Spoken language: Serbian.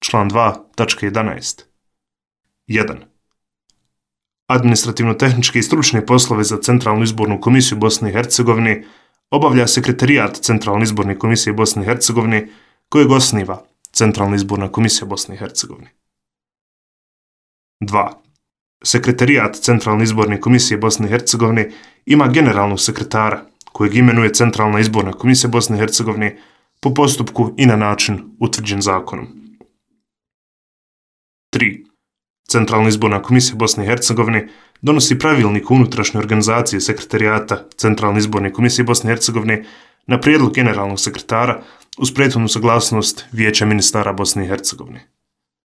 član 2, tačka 11. 1. Administrativno-tehničke i stručne poslove za Centralnu izbornu komisiju Bosne i Hercegovine obavlja Sekretarijat Centralne izborne komisije Bosne i Hercegovine kojeg osniva Centralna izborna komisija Bosne i Hercegovine. 2. Sekretarijat Centralne izborne komisije Bosne i Hercegovine ima generalnog sekretara kojeg imenuje Centralna izborna komisija Bosne i Hercegovine po postupku i na način utvrđen zakonom. 3. Centralna izborna komisija Bosne i Hercegovine donosi pravilnik o unutrašnjoj organizaciji Sekretarijata Centralne izborne komisije Bosne i Hercegovine na prijedlog generalnog sekretara uz prethodnu saglasnost Vijeća ministara Bosne i Hercegovine.